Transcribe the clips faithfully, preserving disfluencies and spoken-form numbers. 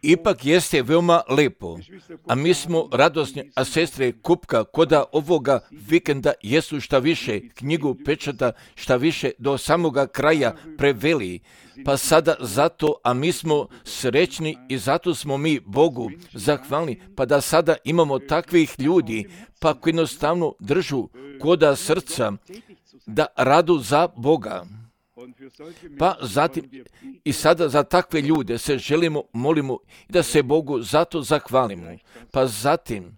Ipak jeste veoma lepo, a mi smo radosni, a sestre Kupka koda ovoga vikenda jesu šta više knjigu pečata, šta više do samoga kraja preveli, pa sada zato, a mi smo srećni i zato smo mi Bogu zahvalni, pa da sada imamo takvih ljudi, pa koji jednostavno držu koda srca da radu za Boga. Pa zatim i sada za takve ljude se želimo, molimo i da se Bogu zato zahvalimo. Pa zatim,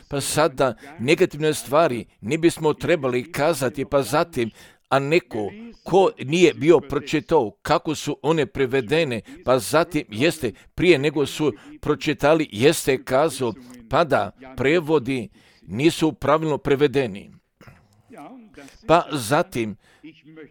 pa sada negativne stvari ne bismo trebali kazati, pa zatim, a neko ko nije bio pročitao kako su one prevedene, pa zatim jeste prije nego su pročitali, jeste kazao, pa da prevodi nisu pravilno prevedeni. Pa zatim,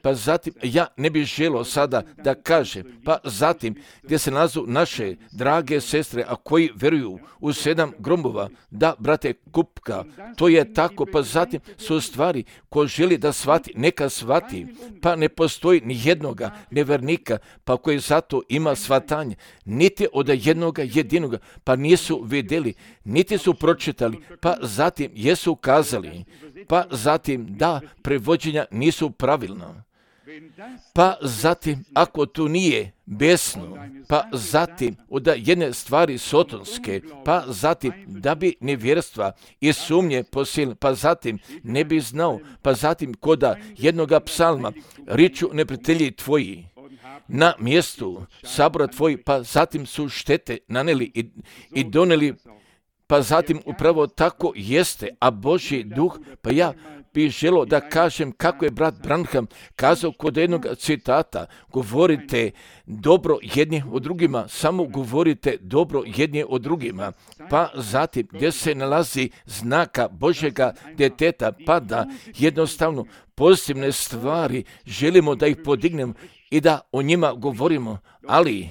pa zatim, ja ne bih želio sada da kažem, pa zatim, gdje se nalazu naše drage sestre, a koji veruju u sedam gromova, da, brate Kupka, to je tako, pa zatim su stvari ko želi da shvati, neka shvati, pa ne postoji ni jednoga nevernika, pa koji zato ima shvatanje, niti od jednoga jedinoga, pa nisu vidjeli, niti su pročitali, pa zatim jesu kazali, pa zatim da prevođenja nisu pravilna. Pa zatim, ako to nije besno, pa zatim od jedne stvari sotonske, pa zatim da bi nevjerstva i sumnje posil, pa zatim ne bi znao, pa zatim koda jednoga psalma, riču neprijatelji tvoji na mjestu sabora tvoji, pa zatim su štete naneli i, i doneli, pa zatim upravo tako jeste, a Božji duh, pa ja bih želio da kažem kako je brat Branham kazao kod jednog citata, govorite dobro jedni o drugima, samo govorite dobro jedni o drugima, pa zatim gdje se nalazi znaka Božjega djeteta, pa da jednostavno pozitivne stvari želimo da ih podignemo i da o njima govorimo, ali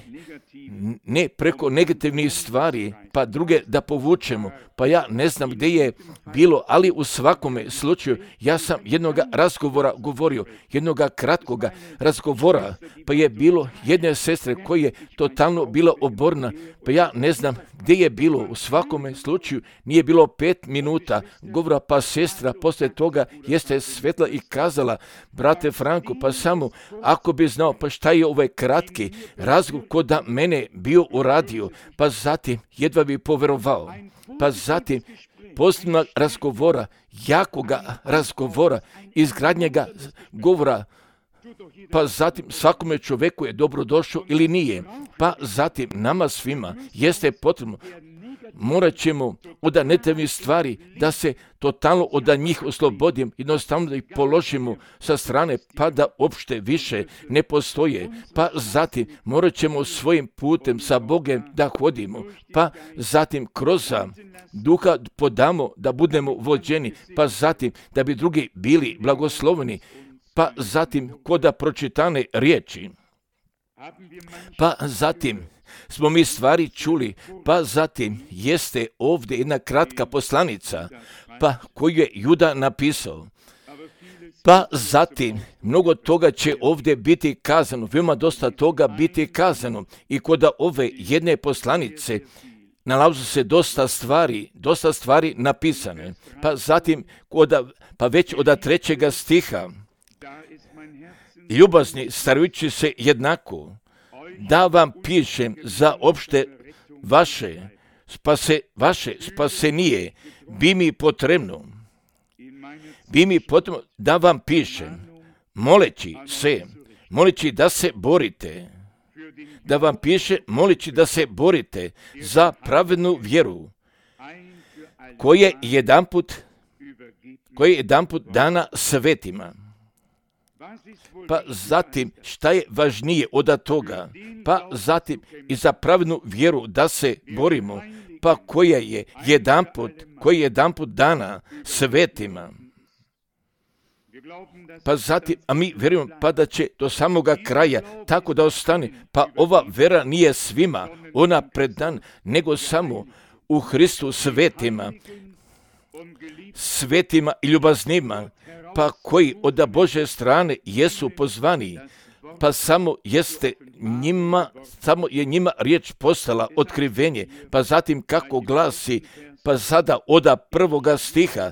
ne preko negativnih stvari, pa druge da povučemo. Pa ja ne znam gdje je bilo, ali u svakome slučaju ja sam jednoga razgovora govorio, jednoga kratkoga razgovora, pa je bilo jedne sestre koja je totalno bila oborna, pa ja ne znam gdje je bilo, u svakome slučaju nije bilo pet minuta govora, pa sestra poslije toga jeste svetla i kazala, brate Franko, pa samo ako bi znao, pa šta je ovaj kratki razgovor ko da mene bio uradio, pa zatim jedva bi poverovao. Pa zatim posljednog razgovora, jakoga razgovora, izgradnjega govora, pa zatim svakome čovjeku je dobro došao ili nije. Pa zatim nama svima jeste potrebno, morat ćemo od negativnih stvari da se totalno od njih oslobodim, jednostavno da ih položimo sa strane, pa da uopšte više ne postoje. Pa zatim morat ćemo svojim putem sa Bogom da hodimo, pa zatim kroz duha podamo da budemo vođeni, pa zatim da bi drugi bili blagosloveni, pa zatim koda pročitane riječi. Pa zatim smo mi stvari čuli, pa zatim jeste ovdje jedna kratka poslanica, pa koju je Juda napisao. Pa zatim mnogo toga će ovdje biti kazano, veoma dosta toga biti kazano i kod ove jedne poslanice nalazi se dosta stvari, dosta stvari napisane. Pa zatim, koda, pa već od trećega stiha, ljubazni starajući se jednako, da vam pišem za opšte vaše, spase, vaše spasenije, bi mi potrebno, bi mi potrebno da vam pišem, moleći se, moleći da se borite, da vam piše, moleći da se borite za pravednu vjeru, koje jedanput, koje jedanput dana svetima. Pa zatim, šta je važnije od toga? Pa zatim i za pravednu vjeru da se borimo, pa koja je jedanput, koja je jedanput dana svetima. Pa zatim, a mi vjerujemo pa da će do samoga kraja tako da ostane, pa ova vera nije svima, ona predan, nego samo u Hristu svetima, svetima i ljubaznima, pa koji od Božje strane jesu pozvani, pa samo jeste njima, samo je njima riječ postala otkrivenje, pa zatim kako glasi, pa sada oda prvoga stiha,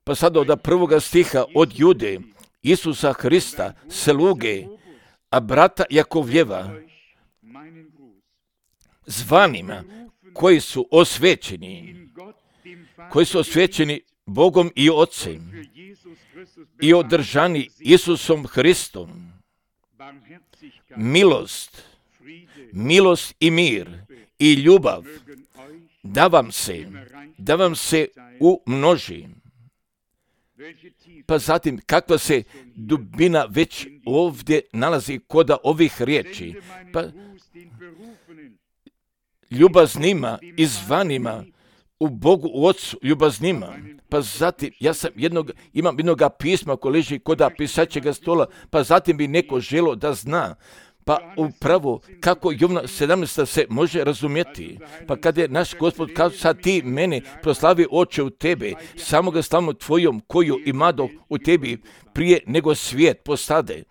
pa sada oda prvoga stiha od Jude, Isusa Hrista, sluge, a brata Jakovljeva, zvanima, koji su osvećeni, koji su osvećeni Bogom i Ocem i održani Isusom Hristom, milost, milost i mir i ljubav da vam se, da vam se umnoži. Pa zatim, kakva se dubina već ovdje nalazi kod ovih riječi. Pa ljubaznima i zvanima u Bogu u Otcu, ljubaznima. Pa zatim, ja sam jednog, imam jednog pisma koji leži kod pisaćega stola, pa zatim bi neko želo da zna. Pa upravo kako Jovana sedamnaest se može razumjeti. Pa kad je naš Gospod kazao, sad ti mene proslavi Oče u tebe, samoga slavno tvojom koju imado u tebi prije nego svijet postade.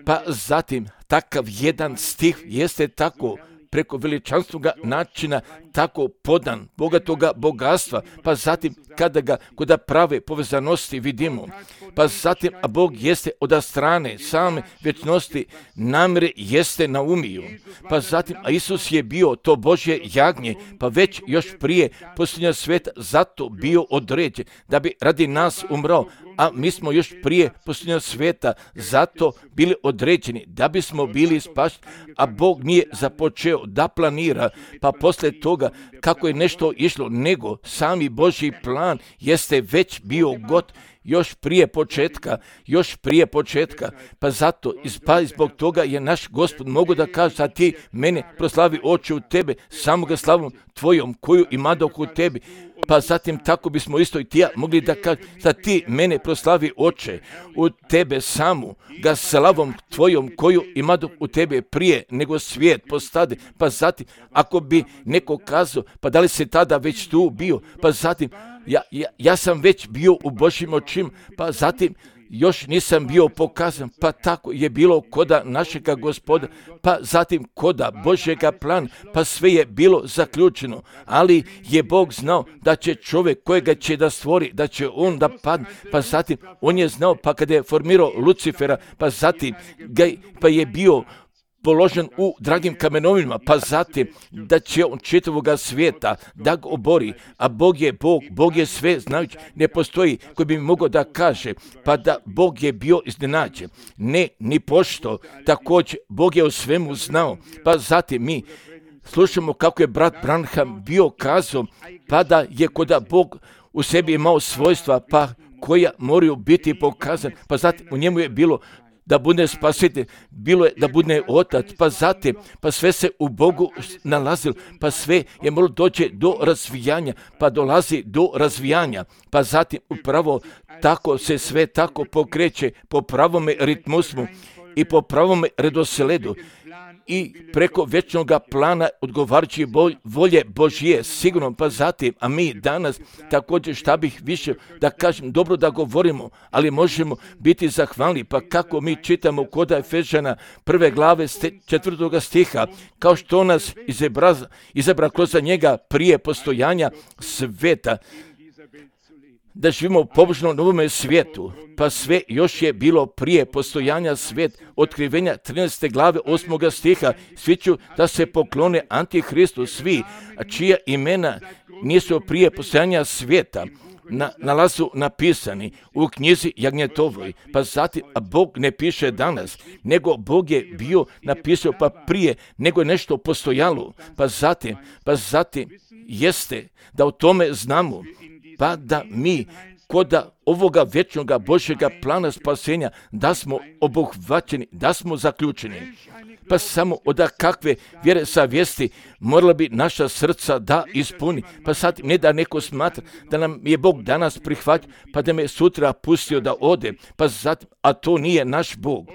Pa zatim takav jedan stih jeste tako preko veličanstvenog načina tako podan, bogatoga bogatstva, pa zatim kada ga kod prave povezanosti vidimo, pa zatim, a Bog jeste od strane same vječnosti namjere jeste naumio, pa zatim, a Isus je bio to Božje jagnje, pa već još prije posljednja sveta zato bio određen da bi radi nas umrao, a mi smo još prije posljednja sveta zato bili određeni da bismo bili spašeni, a Bog nije započeo da planira, pa poslije toga kako je nešto išlo, nego sami Božji plan jeste već bio god još prije početka, još prije početka, pa zato, pa zbog toga je naš Gospod mogu da kaže, a ti mene proslavi Oče u tebe, samoga slavom tvojom koju imadoh u tebi, pa zatim tako bismo isto i ti ja mogli da kaže, da ti mene proslavi Oče u tebe samu, ga slavom tvojom koju imadoh u tebe prije nego svijet postade, pa zatim ako bi neko kazao, pa da li se tada već tu bio, pa zatim Ja, ja, ja sam već bio u Božjim očima, pa zatim još nisam bio pokazan, pa tako je bilo koda našega Gospoda, pa zatim koda Božjega plana, pa sve je bilo zaključeno, ali je Bog znao da će čovjek kojega će da stvori, da će on da padne, pa zatim on je znao, pa kada je formirao Lucifera, pa zatim ga, pa je bio položen u dragim kamenovima, pa zatim da će on čitavoga svijeta da ga obori, a Bog je Bog, Bog je sve znajući, ne postoji koji bi mogao da kaže, pa da Bog je bio iznenađen. Ne, ni pošto, također Bog je o svemu znao, pa zatim mi slušamo kako je brat Branham bio kazao, pa da je koda Bog u sebi imao svojstva, pa koja moraju biti pokazan, pa zatim u njemu je bilo da bude spasitelj, bilo je da bude otac, pa zatim, pa sve se u Bogu nalazilo, pa sve je moralo doći do razvijanja, pa dolazi do razvijanja, pa zatim upravo tako se sve tako pokreće po pravome ritmusmu i po pravome redosledu i preko vječnog plana odgovarajući volje Božje, sigurno, pa zatim, a mi danas također šta bih više da kažem, dobro da govorimo, ali možemo biti zahvalni, pa kako mi čitamo kod Efežana prve glave četvrtoga stiha, kao što nas izabra, izabra kroz njega prije postojanja sveta, da živimo u pobožnom novome svijetu, pa sve još je bilo prije postojanja svijet, otkrivenja trinaeste glave osmoga stiha, svi ću da se poklone Antihristu, svi, a čija imena nisu prije postojanja svijeta, na, nalazu napisani u knjizi Jagnjetovoj, pa zatim, a Bog ne piše danas, nego Bog je bio napisao pa prije, nego je nešto postojalo, pa zatim, pa zatim jeste da o tome znamo, pa da mi kod ovoga vječnoga Božjega plana spasenja da smo obuhvaćeni, da smo zaključeni. Pa samo od kakve vjere savjesti morala bi naša srca da ispuni. Pa sad ne da neko smatra da nam je Bog danas prihvatio, pa da me sutra pustio da ode, pa zatim, a to nije naš Bog.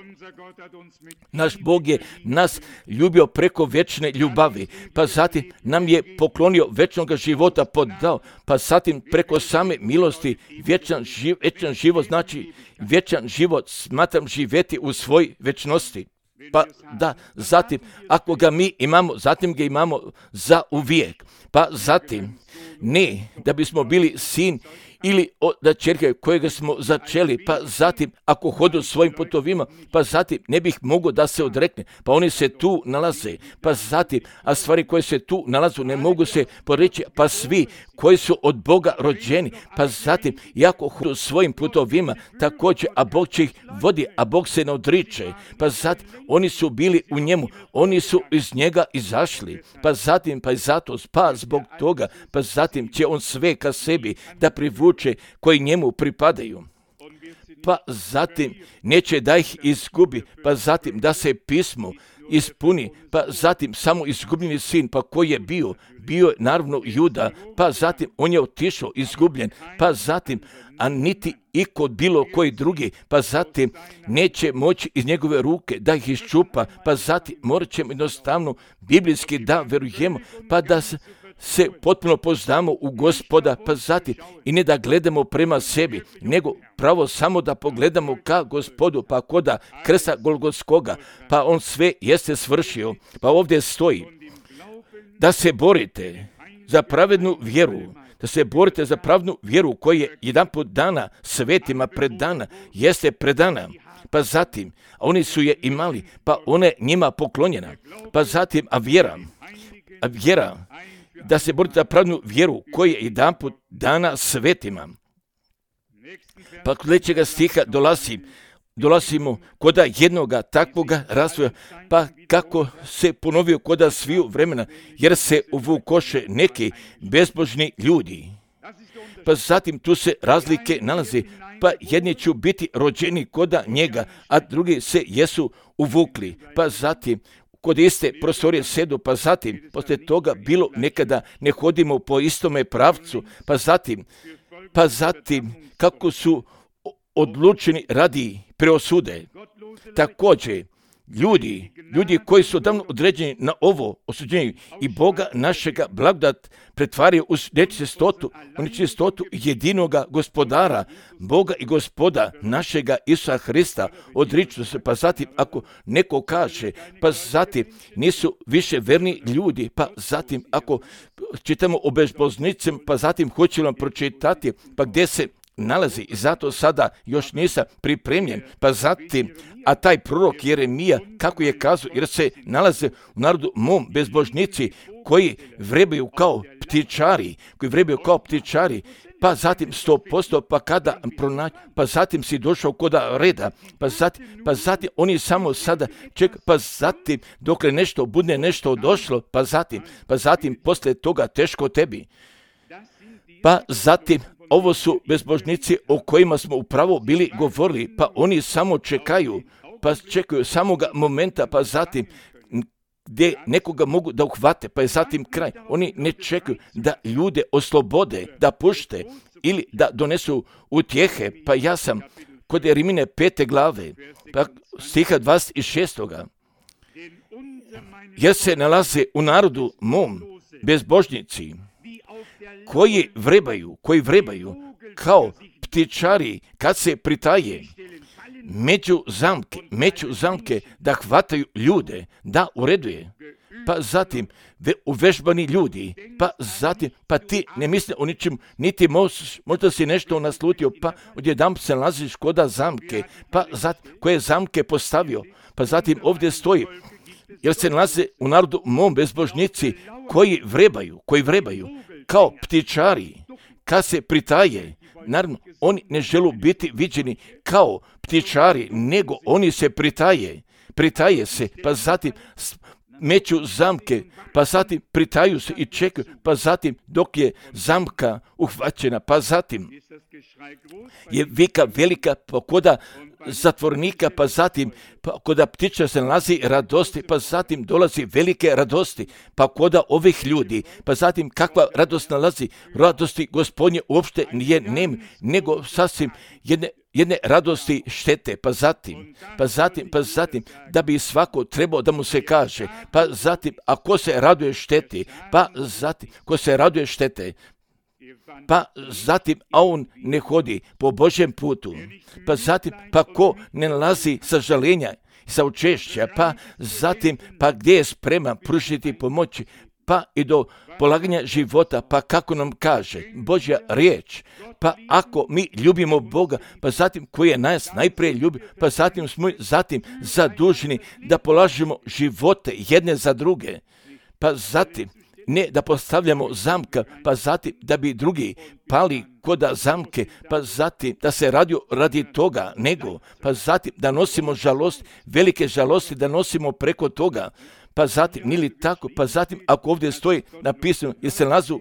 Naš Bog je nas ljubio preko vječne ljubavi, pa zatim nam je poklonio vječnog života podao, pa zatim preko same milosti vječan, živ, vječan život, znači vječan život smatram živjeti u svoj vječnosti. Pa da, zatim, ako ga mi imamo, zatim ga imamo za uvijek. Pa zatim, ne da bismo bili sin ili da čerke kojega smo začeli, pa zatim ako hodu svojim putovima, pa zatim ne bih mogao da se odrekne, pa oni se tu nalaze, pa zatim, a stvari koje se tu nalazu ne mogu se poreći, pa svi koji su od Boga rođeni, pa zatim, iako hodu svojim putovima, također, a Bog će ih vodi, a Bog se ne odriče, pa zatim, oni su bili u njemu, oni su iz njega izašli, pa zatim, pa i zato, pa zbog toga, pa zatim će on sve ka sebi da privuče koji njemu pripadaju. Pa zatim neće da ih izgubi, pa zatim da se pismo ispuni, pa zatim samo izgubljeni sin, pa koji je bio, bio je naravno Juda, pa zatim on je otišao izgubljen, pa zatim, a niti i kod bilo koji drugi, pa zatim neće moći iz njegove ruke da ih iščupa, pa zatim morat ćemo jednostavno biblijski da verujemo, pa da se se potpuno poznamo u Gospoda, pa zatim i ne da gledamo prema sebi, nego pravo samo da pogledamo ka Gospodu, pa koda krsta Golgotskoga, pa on sve jeste svršio, pa ovdje stoji da se borite za pravednu vjeru, da se borite za pravednu vjeru koja je jedanput dana svetima predana, jeste predana, pa zatim, a oni su je imali, pa ona je njima poklonjena, pa zatim, a vjera, a vjera, da se borite za pravednu vjeru koja je jedanput dana svetima. Pa kod sljedećega stiha dolazi, dolazimo koda jednoga takvoga razvoja, pa kako se ponovio koda sviju vremena, jer se uvukoše neki bezbožni ljudi. Pa zatim tu se razlike nalazi, pa jedni će biti rođeni koda njega, a drugi se jesu uvukli. Pa zatim kod iste prostorije sedu, pa zatim, poslije toga bilo nekada ne hodimo po istome pravcu, pa zatim, pa zatim, kako su odlučeni radi preosude. Također, ljudi, ljudi koji su davno određeni na ovo osuđenje i Boga našega blagodat pretvaraju u nečistotu, u nečistotu jedinoga gospodara, Boga i gospoda našega Isusa Hrista, odriču se, pa zatim ako neko kaže, pa zatim nisu više verni ljudi, pa zatim ako čitamo o bezboznicima, pa zatim hoću vam pročitati, pa gdje se nalazi i zato sada još nisam pripremljen, pa zatim, a taj prorok Jeremija, kako je kazao, jer se nalaze u narodu mom bezbožnici koji vrebaju kao ptičari, koji vrebaju kao ptičari, pa zatim sto posto, pa kada pronaći, pa zatim si došao koda reda, pa zatim, pa zatim oni samo sada ček, pa zatim dokle nešto bude nešto došlo, pa zatim, pa zatim poslije toga teško tebi. Pa zatim, ovo su bezbožnici o kojima smo upravo bili govorili, pa oni samo čekaju, pa čekaju samoga momenta, pa zatim gdje nekoga mogu da uhvate, pa je zatim kraj. Oni ne čekaju da ljude oslobode, da pušte ili da donesu utjehe, pa ja sam kod Rimine pete glave, pa stiha dvadeset šest. Jer se nalaze u narodu mom bezbožnici, koji vrebaju, koji vrebaju kao ptičari kad se pritaje među zamke, među zamke da hvataju ljude, da ureduje. Pa zatim uvežbani ljudi, pa zatim, pa ti ne misle o ničem, niti možeš, možda si nešto naslutio, pa odjednom se nalaziš koda zamke, pa zatim koje zamke postavio, pa zatim ovdje stoji, jer se nalaze u narodu mom bezbožnici koji vrebaju, koji vrebaju kao ptičari, kad se pritaje. Naravno, oni ne žele biti viđeni kao ptičari, nego oni se pritaje, pritaje se, pa zatim meću zamke, pa zatim pritaju se i čekaju, pa zatim dok je zamka uhvaćena, pa zatim je vika velika, pa koda zatvornika, pa zatim pa koda ptiča se nalazi radosti, pa zatim dolazi velike radosti, pa koda ovih ljudi, pa zatim kakva radost nalazi, radosti Gospodnje uopšte nije nem, nego sasvim jedne jedne radosti štete, pa zatim, pa zatim, pa zatim, da bi svako trebao da mu se kaže, pa zatim, a ko se raduje šteti, pa zatim, ko se raduje štete, pa zatim, a on ne hodi po Božjem putu, pa zatim, pa ko ne nalazi sažaljenja, saučešća, pa zatim, pa gdje je spreman pružiti pomoći, pa i do polaganja života, pa kako nam kaže Božja riječ, pa ako mi ljubimo Boga, pa zatim koji je nas najprije ljubio, pa zatim smo zatim zaduženi da polažemo živote jedne za druge, pa zatim ne da postavljamo zamka, pa zatim da bi drugi pali koda zamke, pa zatim da se radi radi toga, nego, pa zatim da nosimo žalost, velike žalosti da nosimo preko toga, pa zatim, nili tako, pa zatim ako ovdje stoji napisano, jer se nalazu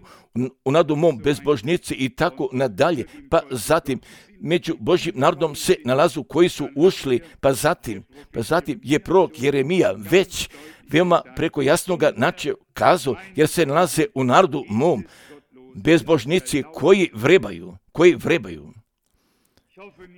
u nadu mom bezbožnici i tako nadalje, pa zatim među Božjim narodom se nalazu koji su ušli, pa zatim, pa zatim je prorok Jeremija već veoma preko jasnoga načina kazao, jer se nalaze u narodu mom bezbožnici koji vrebaju, koji vrebaju.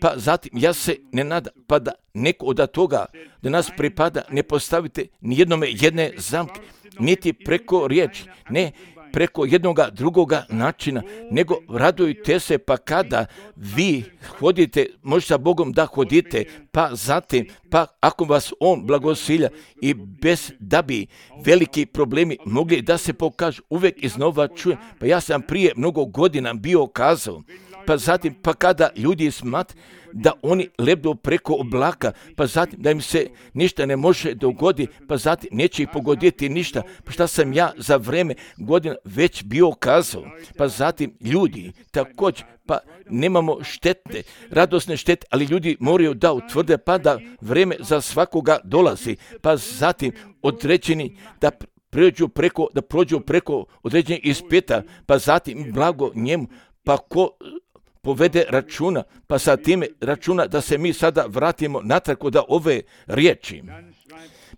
Pa zatim, ja se ne nadam, pa da neko od toga da nas pripada ne postavite nijednome jedne zamke, niti preko riječi, ne preko jednoga drugoga načina, nego radujte se pa kada vi hodite, možda sa Bogom da hodite, pa zatim, pa ako vas On blagosilja i bez da bi veliki problemi mogli da se pokažu, uvijek iznova čujem, pa ja sam prije mnogo godina bio kazao, pa zatim, pa kada ljudi smat da oni lebdu preko oblaka, pa zatim da im se ništa ne može dogoditi, pa zatim neće ih pogoditi ništa, pa šta sam ja za vreme godina već bio kazao, pa zatim ljudi također, pa nemamo štete, radosne štete, ali ljudi moraju da utvrde pa da vreme za svakoga dolazi, pa zatim određeni da prođu preko, da prođu preko određenih ispita, pa zatim blago njemu, pa ko povede računa, pa sa time računa da se mi sada vratimo natrag kod ove riječi.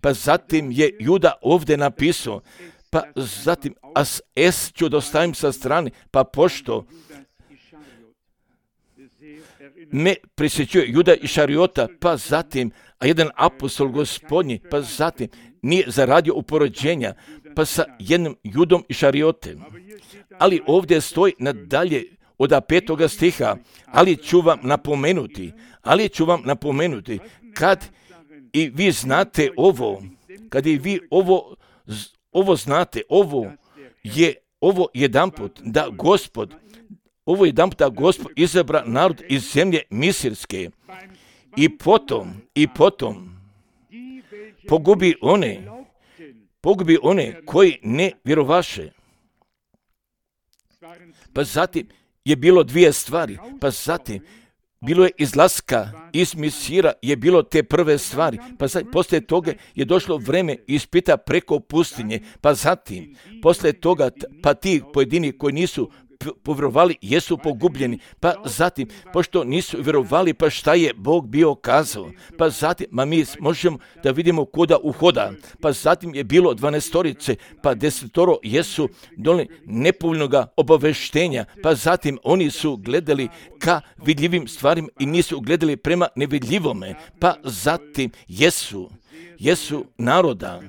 Pa zatim je Juda ovdje napisao, pa zatim as es ću dostavim sa strane, pa pošto me prisjećuje Juda i Šariota, pa zatim, a jedan apostol gospodnji, pa zatim nije zaradio upoređenja, pa sa jednim Judom i Šariotem. Ali ovdje stoji nadalje od petoga stiha, ali ću vam napomenuti, ali ću vam napomenuti, kad i vi znate ovo, kad i vi ovo, ovo znate, ovo je, ovo jedanput da Gospod, ovo jedanput da Gospod izabra narod iz zemlje Misirske i potom, i potom pogubi one, pogubi one koji ne vjerovaše. Pa zatim je bilo dvije stvari, pa zatim bilo je izlaska iz Misira, je bilo te prve stvari, pa zatim poslije toga je došlo vreme ispita preko pustinje, pa zatim poslije toga pa ti pojedini koji nisu povjerovali jesu pogubljeni, pa zatim pošto nisu vjerovali, pa šta je Bog bio kazao, pa zatim ma mi možemo da vidimo kuda uhoda, pa zatim je bilo dvanaestorice, pa desetoro jesu doli nepovoljnoga obaveštenja, pa zatim oni su gledali ka vidljivim stvarima i nisu gledali prema nevidljivome, pa zatim jesu, jesu naroda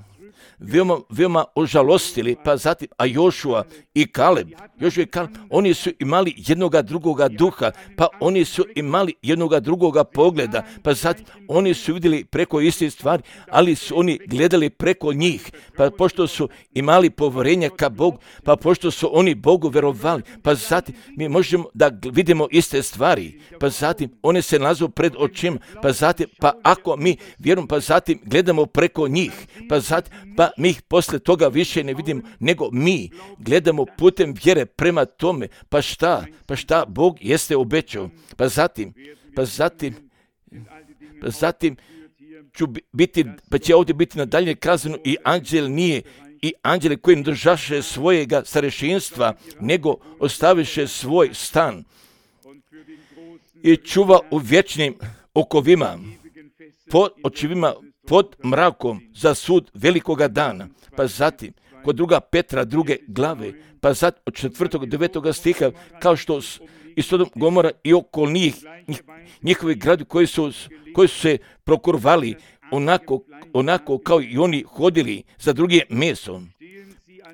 veoma, veoma ožalostili, pa zatim, a Jošua i Kaleb, Jošua i Kaleb, oni su imali jednoga drugoga duha, pa oni su imali jednoga drugoga pogleda, pa zatim, oni su vidjeli preko istih stvari, ali su oni gledali preko njih, pa pošto su imali povjerenja ka Bogu, pa pošto su oni Bogu vjerovali, pa zatim, mi možemo da vidimo iste stvari, pa zatim, one se nalazu pred očima, pa zatim, pa ako mi vjerujemo, pa zatim gledamo preko njih, pa zatim, pa mi ih poslije toga više ne vidimo, nego mi gledamo putem vjere prema tome, pa šta, pa šta Bog jeste obećao, pa zatim, pa zatim, pa zatim ću biti, pa će ovdje biti nadalje kazano i anđel nije, i anđele koji ne držaše svojega starešinstva, nego ostaviše svoj stan i čuva u vječnim okovima, pod očivima, pod mrakom za sud velikoga dana, pa zatim kod druga Petra druge glave, pa zatim od četvrtog do devetoga stiha, kao što i Sodom Gomora i oko njih, njih njihovi gradi koji su, koji su se prokurvali onako, onako kao i oni hodili za drugim mesom,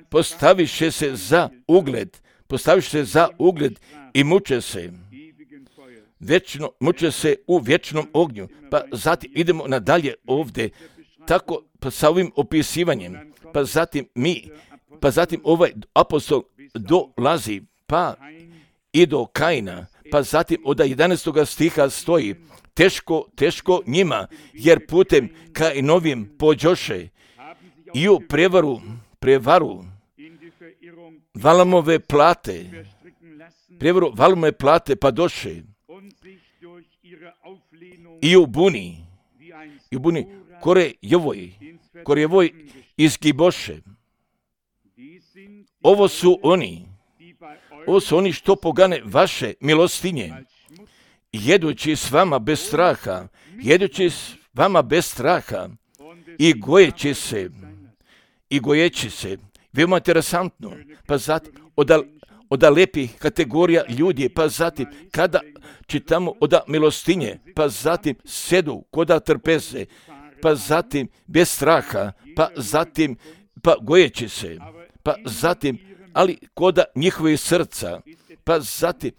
postaviše se za ugled, postaviše se za ugled i muče se vječno, muče se u vječnom ognju. Pa zatim idemo nadalje ovdje, tako pa sa ovim opisivanjem, pa zatim mi, pa zatim ovaj apostol dolazi, pa i do Kaina, pa zatim od jedanaestog stiha stoji, teško, teško njima, jer putem Kainovim pođoše i u prevaru, prevaru Valamove plate, prevaru Valamove plate pa doše i u buni, i u buni kore jevoj, kore jevoj izgiboše. Ovo su oni, ovo su oni što pogane vaše milostinje, jedući s vama bez straha, jedući s vama bez straha i gojeći se, i gojeći se. Veoma interesantno, pa zatim od, od lepih kategorija ljudi, pa zatim kada čitamo od milostinje, pa zatim sedu koda trpeze, pa zatim bez straha, pa zatim pa gojeći se, pa zatim ali koda njihovih srca, pa zatim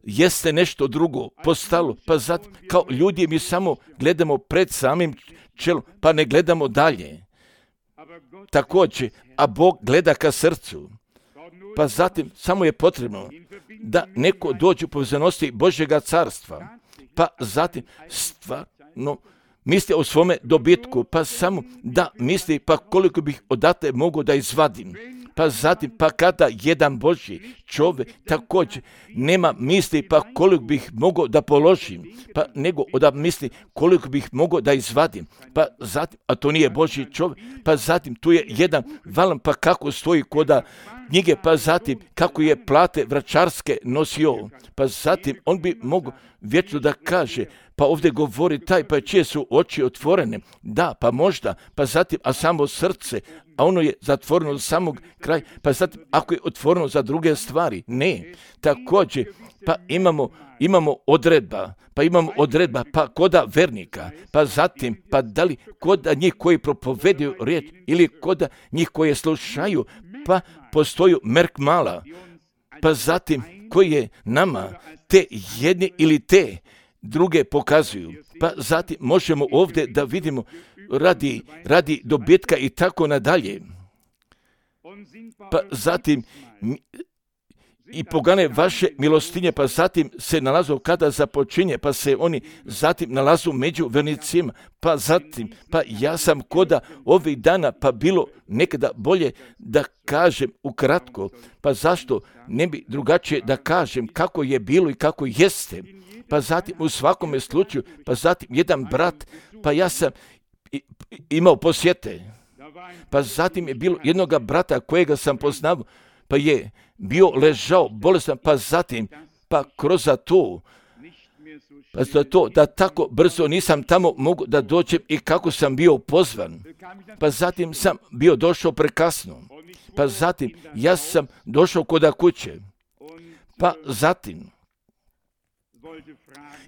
jeste nešto drugo postalo, pa zatim kao ljudi mi samo gledamo pred samim čelom, pa ne gledamo dalje. Također, a Bog gleda ka srcu, pa zatim samo je potrebno da neko dođe u povezanosti Božjega carstva, pa zatim stvarno misli o svome dobitku, pa samo da misli pa koliko bih odatle mogu da izvadim. Pa zatim, pa kada jedan Božji čovjek također nema misli pa koliko bih mogao da položim, pa nego da misli koliko bih mogao da izvadim, pa zatim, a to nije Božji čovjek, pa zatim tu je jedan valam pa kako stoji koda knjige, pa zatim kako je plate vračarske nosio, pa zatim on bi mogao vječno da kaže, pa ovdje govori taj, pa čije su oči otvorene, da, pa možda, pa zatim, a samo srce, a ono je zatvoreno za samog kraja, pa zatim, ako je otvoreno za druge stvari, ne. Također, pa imamo, imamo odredba, pa imamo odredba, pa koda vernika, pa zatim, pa da li koda njih koji propovedaju riječ ili koda njih koje slušaju, pa postoju merk mala, pa zatim koji je nama te jedne ili te druge pokazuju. Pa zatim možemo ovdje da vidimo radi, radi dobitka i tako nadalje. Pa zatim i pogane vaše milostinje, pa zatim se nalazu kada započinje, pa se oni zatim nalazu među vernicima, pa zatim, pa ja sam koda ovih dana, pa bilo nekada bolje da kažem ukratko, pa zašto ne bi drugačije da kažem kako je bilo i kako jeste, pa zatim u svakome slučaju, pa zatim jedan brat, pa ja sam imao posjete, pa zatim je bilo jednoga brata kojega sam poznao, pa je bio ležao bolestan, pa zatim, pa kroz to, pa za to da tako brzo nisam tamo mogu da dođem i kako sam bio pozvan, pa zatim sam bio došao prekasno, pa zatim ja sam došao koda kuće, pa zatim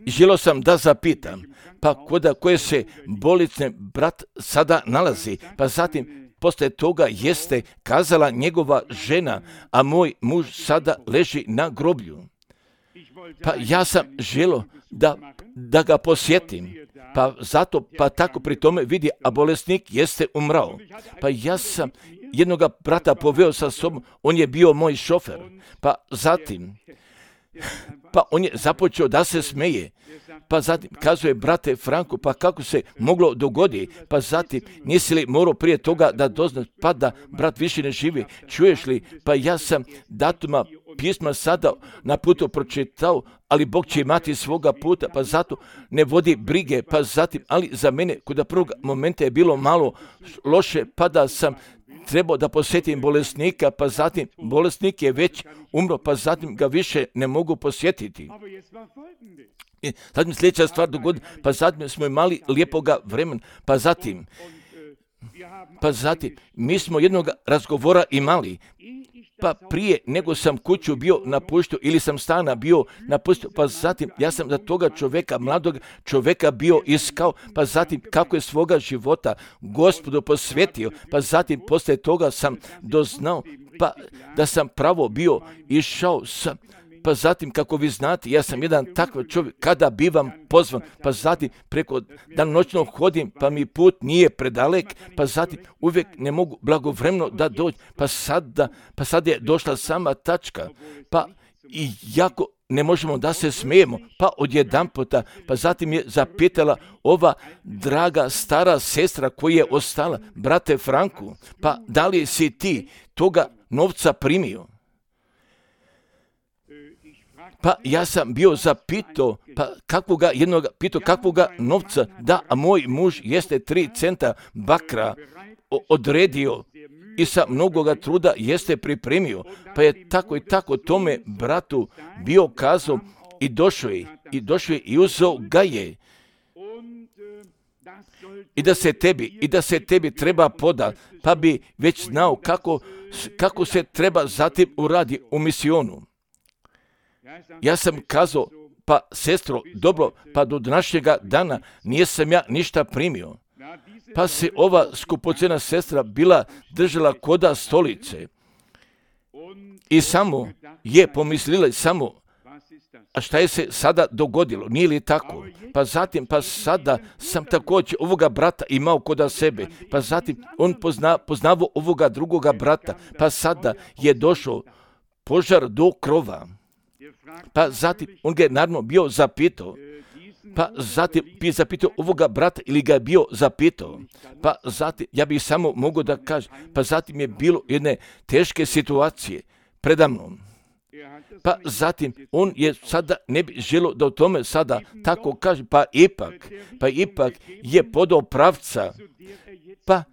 želio sam da zapitam, pa koda koje se bolesne brat sada nalazi, pa zatim poslije toga jeste kazala njegova žena, a moj muž sada leži na groblju. Pa ja sam želio da, da ga posjetim, pa zato, pa tako pri tome vidi, a bolesnik jeste umrao. Pa ja sam jednoga brata poveo sa sobom, on je bio moj šofer, pa zatim, pa on je započeo da se smeje, pa zatim kazuje brate Franku, pa kako se moglo dogodi, pa zatim nisi li morao prije toga da doznaš, pa da brat više ne živi, čuješ li, pa ja sam datuma pisma sada na putu pročitao, ali Bog će imati svoga puta, pa zato ne vodi brige, pa zatim, ali za mene kod prvog momenta je bilo malo loše, pa da sam trebao da posjetim bolesnika, pa zatim bolesnik je već umro, pa zatim ga više ne mogu posjetiti. I zatim sljedeća stvar dogodi, pa zatim smo imali lijepoga vremena, pa zatim, pa zatim, mi smo jednog razgovora imali, pa prije nego sam kuću bio napuštio ili sam stana bio napustio, pa zatim ja sam za toga čovjeka, mladog čovjeka bio iskao, pa zatim kako je svoga života Gospodu posvetio, pa zatim poslije toga sam doznao, pa da sam pravo bio išao sa pa zatim, kako vi znate, ja sam jedan takav čovjek, kada bivam pozvan, pa zatim preko danonoćno hodim, pa mi put nije predalek, pa zatim uvijek ne mogu blagovremeno da dođem, pa sada, pa sad je došla sama tačka, pa i jako ne možemo da se smijemo, pa odjedanputa, pa zatim je zapitala ova draga stara sestra koja je ostala, brate Franku, pa da li si ti toga novca primio? Pa ja sam bio zapitao, pa kakvoga jednoga, pitao kakvoga novca, da, a moj muž jeste tri centa bakra odredio i sa mnogoga truda jeste pripremio, pa je tako i tako tome bratu bio kazao i došao je, i došao je i uzeo ga je. I da se tebi, i da se tebi treba poda, pa bi već znao kako, kako se treba zatim uradi u misionu. Ja sam kazao, pa sestro, dobro, pa do današnjega dana nisam ja ništa primio. Pa se ova skupocena sestra bila držala koda stolice i samo je pomislila samo, a šta je se sada dogodilo, nije li tako? Pa zatim, pa sada sam također ovoga brata imao koda sebe, pa zatim on pozna, poznavao ovoga drugoga brata, pa sada je došao požar do krova. Pa zatim on ga je naravno bio zapitao, pa zatim bi zapitao ovoga brata ili ga je bio zapitao, pa zatim ja bih samo mogao da kažem, pa zatim je bilo jedne teške situacije predamnom. Pa zatim on je sada ne bi želio da o tome sada tako kaže, pa ipak, pa ipak je podao pravca, pa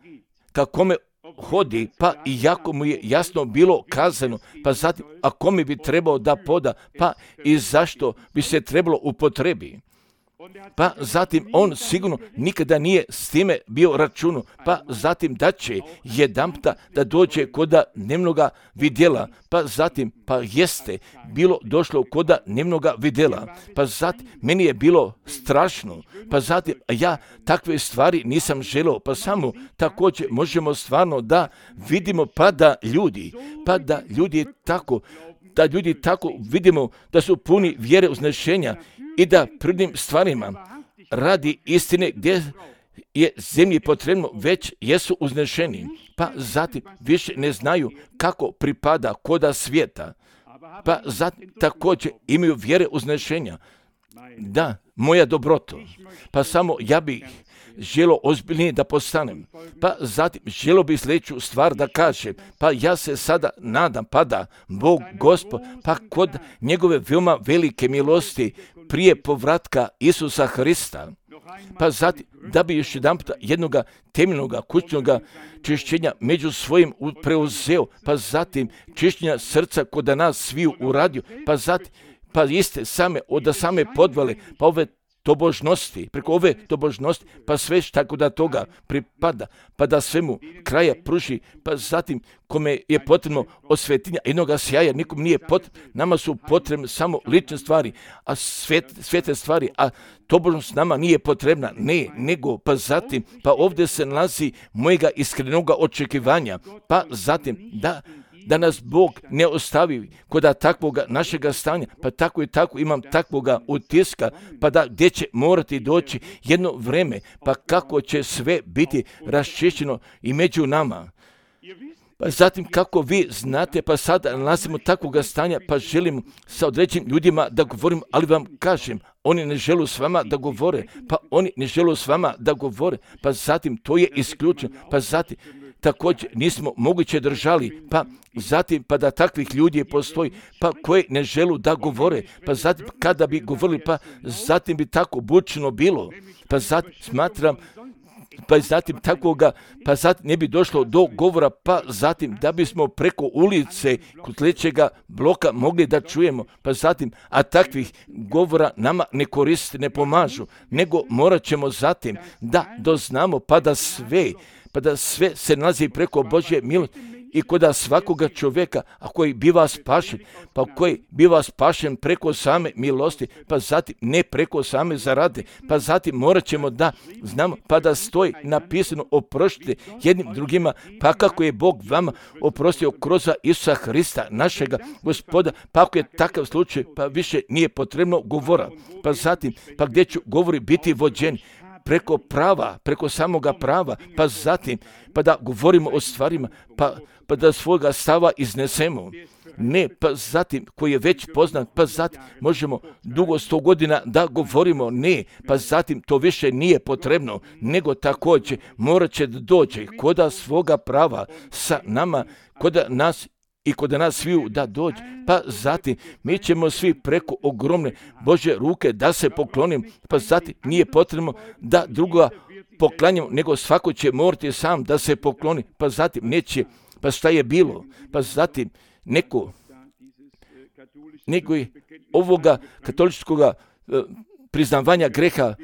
ka kome hodi, pa i jako mu je jasno bilo kazano, pa zatim, a kome bi trebao da poda, pa i zašto bi se trebalo upotrebi. Pa zatim on sigurno nikada nije s time bio računao, pa zatim da će jedanputa da dođe koda dnevnoga vidjela, pa zatim pa jeste bilo došlo koda dnevnoga vidjela, pa zatim meni je bilo strašno, pa zatim ja takve stvari nisam želeo, pa samo također možemo stvarno da vidimo pa da ljudi, pa da ljudi tako, da ljudi tako vidimo da su puni vjere uznešenja i da prvnim stvarima radi istine gdje je zemlji potrebno već jesu uznešeni, pa zatim više ne znaju kako pripada koda svijeta, pa zatim također imaju vjere uznešenja. Da, moja dobroto, pa samo ja bih želo ozbiljnije da postanem, pa zatim želo bi sljedeću stvar da kažem, pa ja se sada nadam, pa da Bog Gospod, pa kod njegove veoma velike milosti prije povratka Isusa Hrista, pa zatim da bi još jedan puta jednoga temeljnoga kućnoga čišćenja među svojim preuzeo, pa zatim čišćenja srca kod nas sviju uradio, pa zatim pa iste same, od same podvale, pa ove tobožnosti, preko ove tobožnosti, pa sve tako da toga pripada, pa da svemu kraja pruži, pa zatim kome je potrebno osvetinja jednoga sjaja, nikom nije potrebno, nama su potrebne samo lične stvari, a svet, svete stvari, a tobožnost nama nije potrebna, ne, nego, pa zatim, pa ovdje se nalazi mojega iskrenoga očekivanja, pa zatim, da, da nas Bog ne ostavi kod takvoga našega stanja, pa tako i tako imam takvoga utiska, pa da gdje će morati doći jedno vreme, pa kako će sve biti raščišćeno i među nama. Pa zatim kako vi znate, pa sada nalazimo takvoga stanja, pa želim sa određenim ljudima da govorim, ali vam kažem, oni ne žele s vama da govore, pa oni ne žele s vama da govore, pa zatim to je isključeno, pa zatim također nismo moguće držali, pa zatim pa da takvih ljudi postoji, pa koji ne želu da govore, pa zatim kada bi govorili, pa zatim bi tako bučno bilo, pa zatim smatram, pa zatim takvoga, pa zatim ne bi došlo do govora, pa zatim da bismo preko ulice kod sljedećega bloka mogli da čujemo, pa zatim, a takvih govora nama ne koriste, ne pomažu, nego morat ćemo zatim da doznamo, pa da sve, pa da sve se nalazi preko Božje milosti i koda svakoga čovjeka, a koji biva spašen, pa koji biva spašen preko same milosti, pa zatim ne preko same zarade, pa zatim morat ćemo da znamo, pa da stoji napisano oproštite jednim drugima, pa kako je Bog vama oprostio kroz Isusa Hrista, našega Gospoda, pa ako je takav slučaj, pa više nije potrebno govora, pa zatim, pa gdje ću govori biti vođeni, preko prava, preko samoga prava, pa zatim, pa da govorimo o stvarima, pa, pa da svoga stava iznesemo. Ne, pa zatim, koji je već poznat, pa zatim možemo dugo sto godina da govorimo, ne, pa zatim to više nije potrebno, nego također morat će da dođe koda svoga prava sa nama, koda nas i kod nas sviju da dođe, pa zatim mi ćemo svi preko ogromne Božje ruke da se poklonim, pa zatim nije potrebno da druga poklanjamo, nego svako će morati sam da se pokloni, pa zatim neće, pa šta je bilo, pa zatim neko, neko je ovoga katoličkoga uh, priznavanja greha,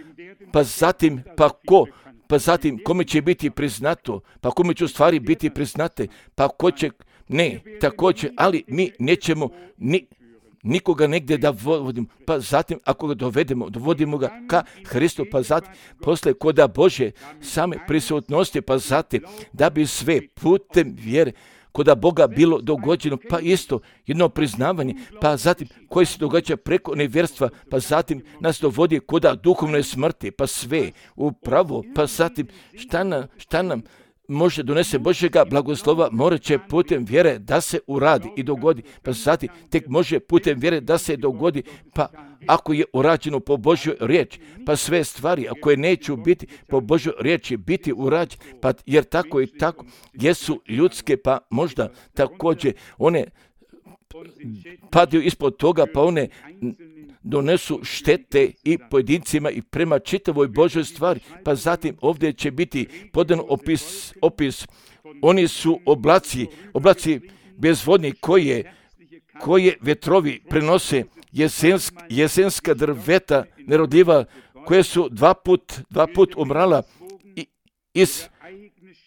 pa zatim, pa ko, pa zatim kome će biti priznato, pa kome će u stvari biti priznate, pa ko će, ne, također, ali mi nećemo ni, nikoga negdje da vodimo, pa zatim ako ga dovedemo, dovodimo ga ka Hristu, pa zatim posle koda Božje same prisutnosti, pa zatim da bi sve putem vjere koda Boga bilo dogođeno, pa isto jedno priznavanje, pa zatim koje se događa preko nevjerstva, pa zatim nas dovodi koda duhovne smrti, pa sve upravo, pa zatim šta nam, šta nam može donese Božjega blagoslova, morat će putem vjere da se uradi i dogodi, pa zatim tek može putem vjere da se dogodi, pa ako je urađeno po Božjoj riječi, pa sve stvari, ako je neću biti po Božjoj riječi, biti urađene, pa jer tako i tako jesu ljudske, pa možda također one padaju ispod toga, pa one donesu štete i pojedincima i prema čitavoj Božoj stvari, pa zatim ovdje će biti podan opis, opis. Oni su oblaci, oblaci bezvodni koje, koje vjetrovi prenose jesensk, jesenska drveta nerodljiva, koje su dva put, dva put umrala i iz,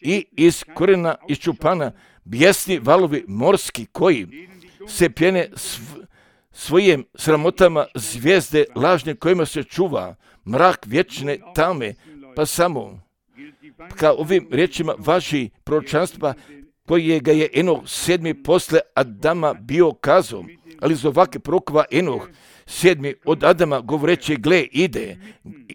i iz korena iščupana, bijesni valovi morski koji se pjene sv, svojim sramotama zvijezde lažne kojima se čuva mrak vječne tame, pa samo kao ovim riječima važi proročanstva koje ga je Enoh sedmi posle Adama bio kazao, ali iz ovake prokova Enoh sedmi od Adama govoreći gle ide,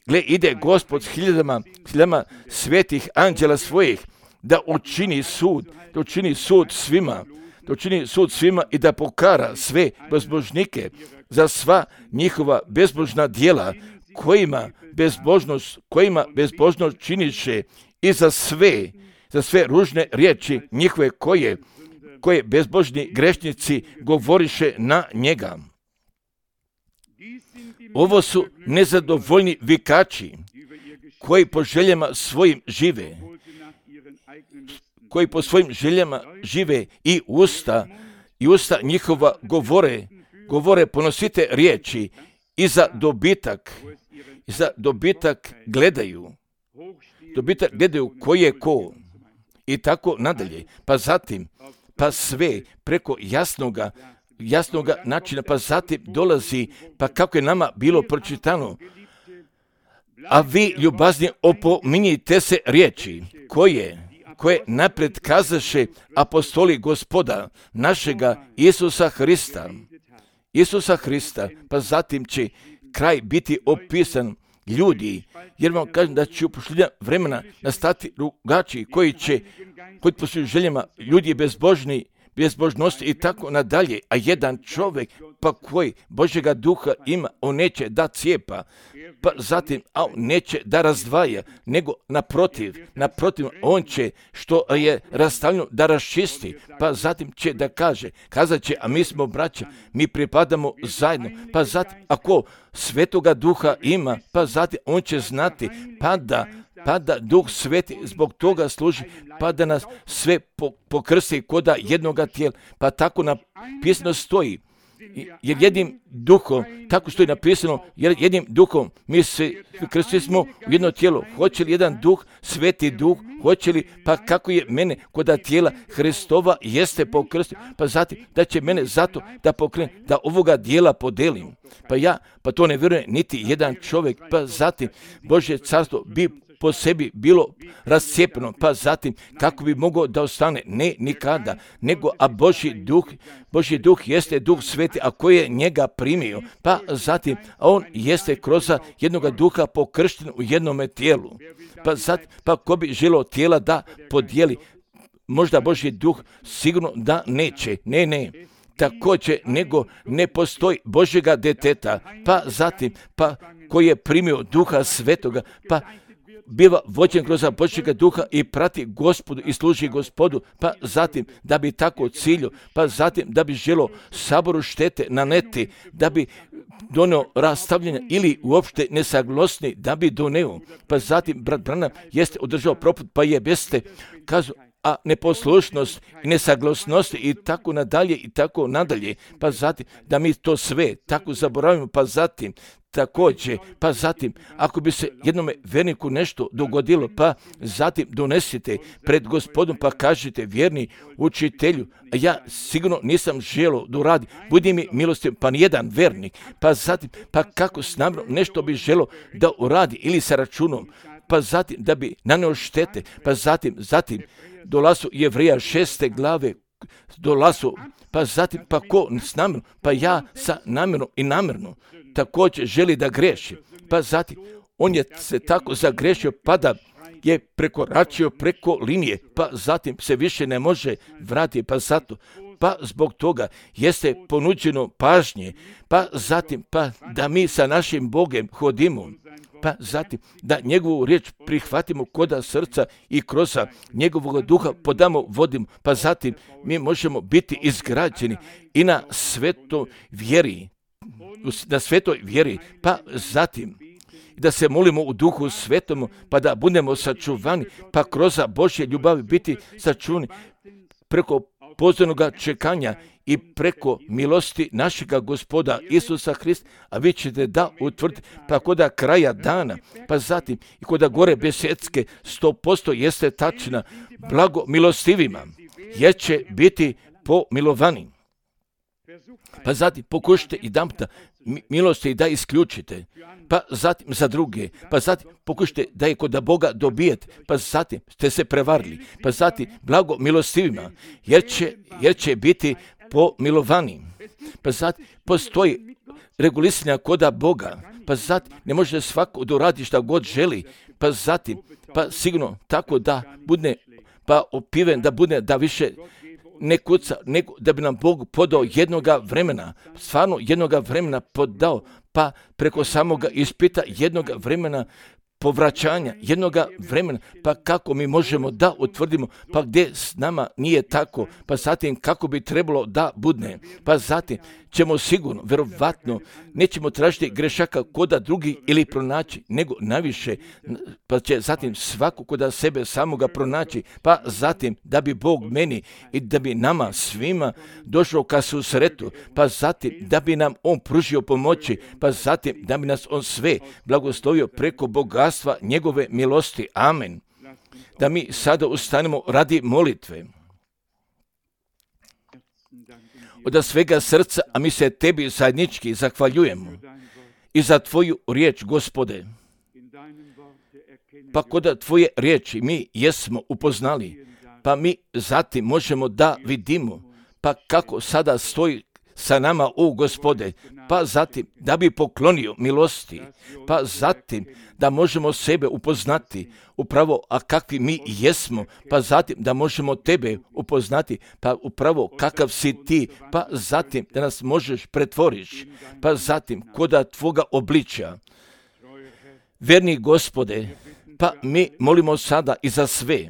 gle ide Gospod s hiljadama, hiljadama svetih anđela svojih da učini sud, da učini sud svima, da učini sud svima i da pokara sve bezbožnike za sva njihova bezbožna djela kojima bezbožnost, kojima bezbožnost činiše i za sve, za sve ružne riječi njihove koje, koje bezbožni grešnici govoriše na njega. Ovo su nezadovoljni vikači koji po željama svojim žive, koji po svojim željama žive i usta, i usta njihova govore, govore ponosite riječi i za dobitak, i za dobitak gledaju, dobitak gledaju ko je ko i tako nadalje. Pa zatim, pa sve preko jasnoga, jasnoga načina, pa zatim dolazi, pa kako je nama bilo pročitano, a vi ljubazni opominjite se riječi koje, koje napred kazaše apostoli Gospoda našega Isusa Hrista. Isusa Hrista, pa zatim će kraj biti opisan ljudi, jer vam kažem da će u posljednja vremena nastati rugači koji će, koji po svojim željama ljudi bezbožni, bezbožnosti i tako nadalje, a jedan čovjek pa koji Božjega duha ima, on neće da cijepa, pa zatim, a on neće da razdvaja, nego naprotiv, naprotiv, on će što je rastavljeno da raščisti, pa zatim će da kaže, kazat će, a mi smo braća, mi pripadamo zajedno, pa zatim, ako Svetoga duha ima, pa zatim on će znati, pa da pa da Duh Sveti zbog toga služi, pa da nas sve pokrsti koda jednoga tijela, pa tako napisano stoji, jer jednim duhom, tako što je napisano, jer jednim duhom mi se krstili smo u jedno tijelo. Hoće li jedan duh, sveti duh, hoće li, pa kako je mene kod tijela Hristova jeste pokrstio, pa zatim da će mene zato da pokrenem, da ovoga dijela podelim. Pa ja, pa to ne vjeruje niti jedan čovjek, pa zatim Božje carstvo bi po sebi bilo rascijepeno, pa zatim kako bi mogao da ostane? Ne, nikada, nego a Božji duh, Božji duh jeste duh sveti, a koji je njega primio, pa zatim a on jeste kroz jednoga duha pokršten u jednome tijelu. Pa zatim, pa ko bi želio tijela da podijeli, možda Božji duh sigurno da neće, ne, ne. Također, nego ne postoji Božjega deteta, pa zatim, pa koji je primio duha svetoga, pa biva vođen kroz Božjega duha i prati Gospodu i služi Gospodu, pa zatim da bi tako cilju, pa zatim da bi želo saboru štete naneti, da bi doneo rastavljanje ili uopšte nesaglosni, da bi doneo, pa zatim brat Branham jeste održao proput, pa je beste kazu, a neposlušnost i nesaglasnost i tako nadalje i tako nadalje, pa zatim da mi to sve tako zaboravimo, pa zatim također, pa zatim ako bi se jednome verniku nešto dogodilo, pa zatim donesite pred Gospodom, pa kažete vjerni učitelju, a ja sigurno nisam želio da uradi, budi mi milostiv, pa nijedan vernik, pa zatim, pa kako s namjerom nešto bi želio da uradi ili sa računom, pa zatim da bi naneo štete, pa zatim, zatim dolazu Jevreja šeste glave, dolazu, pa zatim, pa ko s namjerom, pa ja sa namjerom i namjerno također želi da greši, pa zatim on je se tako zagrešio, pa da je prekoračio preko linije, pa zatim se više ne može vratiti, pa zato, pa zbog toga jeste ponuđeno pažnje, pa zatim, pa da mi sa našim Bogom hodimo, pa zatim da njegovu riječ prihvatimo koda srca i kroz njegovog duha podamo vodimo, pa zatim mi možemo biti izgrađeni i na svetoj vjeri, na svetoj vjeri, pa zatim da se molimo u duhu svetom, pa da budemo sačuvani, pa kroz Božje ljubavi biti sačuvani preko pozornoga čekanja i preko milosti našega Gospoda Isusa Hrista, a vi ćete da utvrditi, pa koda kraja dana, pa zatim i koda gore besjedske, sto posto jeste tačna, blago milostivima, jer će biti pomilovani. Pa zatim pokušajte i damta milosti da isključite, pa zatim za druge, pa zatim pokušajte da je kod Boga dobijete, pa zatim ste se prevarili, pa zatim blago milostivima, jer će, jer će biti pomilovani. Pa zatim postoji regulisanja koda Boga, pa zatim ne može svako da uradi šta god želi, pa zatim, pa sigurno tako da bude, pa opiven da bude, da više ne kuca, nego da bi nam Bog podao jednoga vremena, stvarno jednoga vremena podao, pa preko samoga ispita jednoga vremena povraćanja, jednoga vremena, pa kako mi možemo da utvrdimo, pa gdje s nama nije tako, pa zatim kako bi trebalo da budne, pa zatim ćemo sigurno, verovatno, nećemo tražiti grešaka koda drugi ili pronaći, nego najviše, pa će zatim svako koda sebe samoga pronaći, pa zatim da bi Bog meni i da bi nama svima došao ka susretu, pa zatim da bi nam On pružio pomoći, pa zatim da bi nas On sve blagoslovio preko bogatstva njegove milosti. Amen. Da mi sada ustanemo radi molitve. Od svega srca, a mi se tebi zajednički zahvaljujemo i za tvoju riječ, Gospode. Pa kod tvoje riječi mi jesmo upoznali, pa mi zatim možemo da vidimo, pa kako sada stoji sa nama, o Gospode, pa zatim da bi poklonio milosti, pa zatim da možemo sebe upoznati upravo, a kakvi mi jesmo, pa zatim da možemo tebe upoznati, pa upravo kakav si ti, pa zatim da nas možeš pretvoriš, pa zatim koda tvoga obličja. Verni Gospode, Pa mi molimo sada i za sve.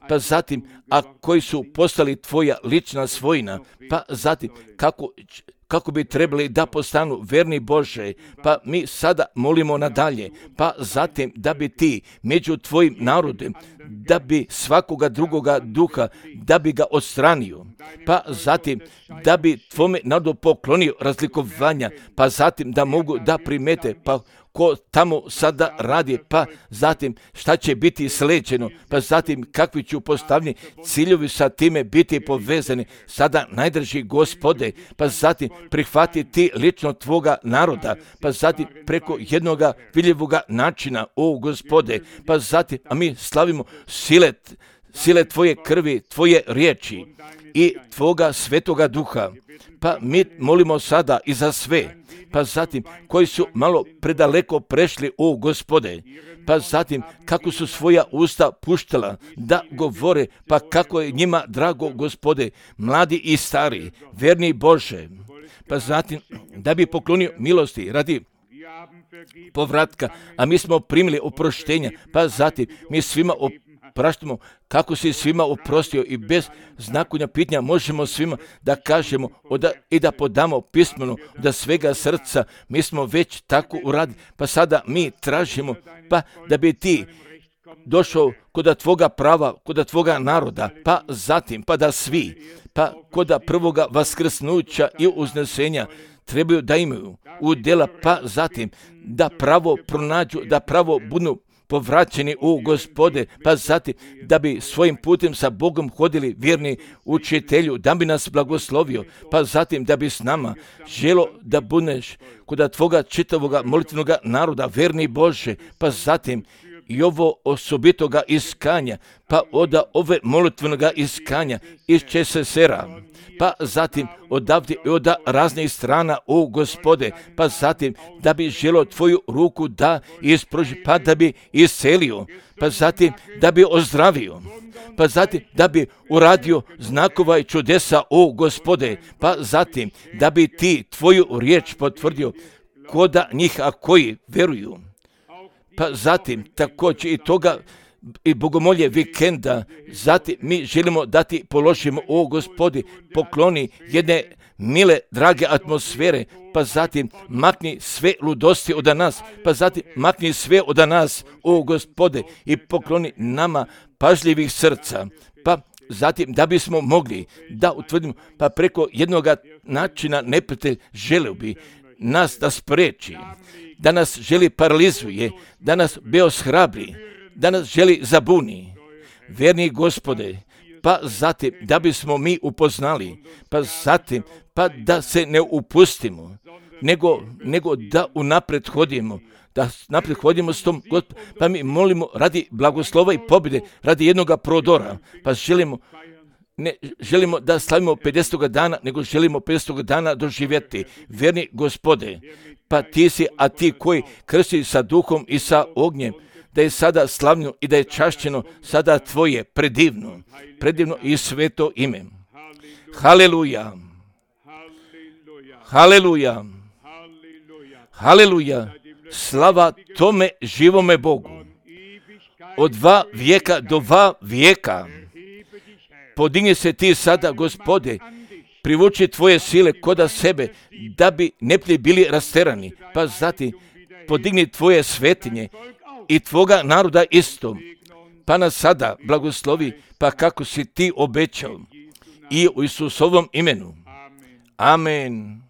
Pa zatim, a koji su postali tvoja lična svojina, pa zatim kako, kako bi trebali da postanu verni Bože, pa mi sada molimo nadalje, pa zatim da bi ti među tvojim narodom, da bi svakoga drugoga duha, da bi ga odstranio, pa zatim da bi tvome narodu poklonio razlikovanja, pa zatim da mogu da primete, pa ko tamo sada radi, pa zatim šta će biti sleđeno, pa zatim kakvi ću postavljeni ciljevi sa time biti povezani, sada najdraži Gospode, pa zatim prihvatiti lično tvoga naroda, pa zatim preko jednoga vidljivoga načina, o Gospode, pa zatim, a mi slavimo sile, sile tvoje krvi, tvoje riječi i tvoga svetoga duha, pa mi molimo sada i za sve, pa zatim koji su malo predaleko prešli, o Gospode, pa zatim kako su svoja usta puštala da govore, pa kako je njima drago, Gospode, mladi i stari, verni Bože, pa zatim da bi poklonio milosti radi povratka, a mi smo primili oproštenja, pa zatim mi svima opraštamo kako si svima oprostio i bez znakovanja pitanja možemo svima da kažemo oda, i da podamo pismeno da svega srca, mi smo već tako uradili, pa sada mi tražimo pa da bi ti došao kod tvoga prava, kod tvoga naroda, pa zatim pa da svi, pa kod prvoga vaskrsnuća i uznesenja trebaju da imaju udjela, pa zatim da pravo pronađu, da pravo budu povraćeni u Gospode, pa zatim da bi svojim putem sa Bogom hodili vjerni učitelju, da bi nas blagoslovio, pa zatim da bi s nama želo da budeš kod tvoga čitavoga molitvenoga naroda, verni Bože, pa zatim i ovo osobitoga iskanja, pa od ove molitvenoga iskanja iz Česesera, pa zatim odavde i od raznih strana, o Gospode, pa zatim da bi želo tvoju ruku da isproži, pa da bi iscelio, pa zatim da bi ozdravio, pa zatim da bi uradio znakova i čudesa, o Gospode, pa zatim da bi ti tvoju riječ potvrdio koda njih, a koji veruju. Pa zatim također i toga i bogomolje vikenda, zatim mi želimo da ti položimo, o Gospodi, pokloni jedne mile, drage atmosfere, pa zatim makni sve ludosti od nas, pa zatim makni sve od nas, o Gospode, i pokloni nama pažljivih srca, pa zatim da bismo mogli da utvrdimo, pa preko jednoga načina neprijatelj želeo bi nas da spreči, da nas želi paralizuje, da nas beoshrabri, da nas želi zabuni. Verni Gospode, pa zatim da bismo mi upoznali, pa zatim pa da se ne upustimo, nego, nego da unapred hodimo, da naprijed hodimo s tom Gospodom, pa mi molimo radi blagoslova i pobjede, radi jednoga prodora, pa želimo Ne želimo da slavimo pedesetoga dana, nego želimo pedesetoga dana doživjeti. Verni Gospode, pa ti si, a ti koji krsti sa duhom i sa ognjem, da je sada slavno i da je čašćeno sada tvoje predivno, predivno i sveto ime. Haleluja, haleluja, haleluja, slava tome živome Bogu. Od dva vijeka do dva vijeka. Podigni se ti sada, Gospode, privuči tvoje sile koda sebe, da bi neprijatelji bili rasterani, pa zatim podigni tvoje svetinje i tvoga naroda isto, pa nas sada blagoslovi, pa kako si ti obećao, i u Isusovom imenu. Amen.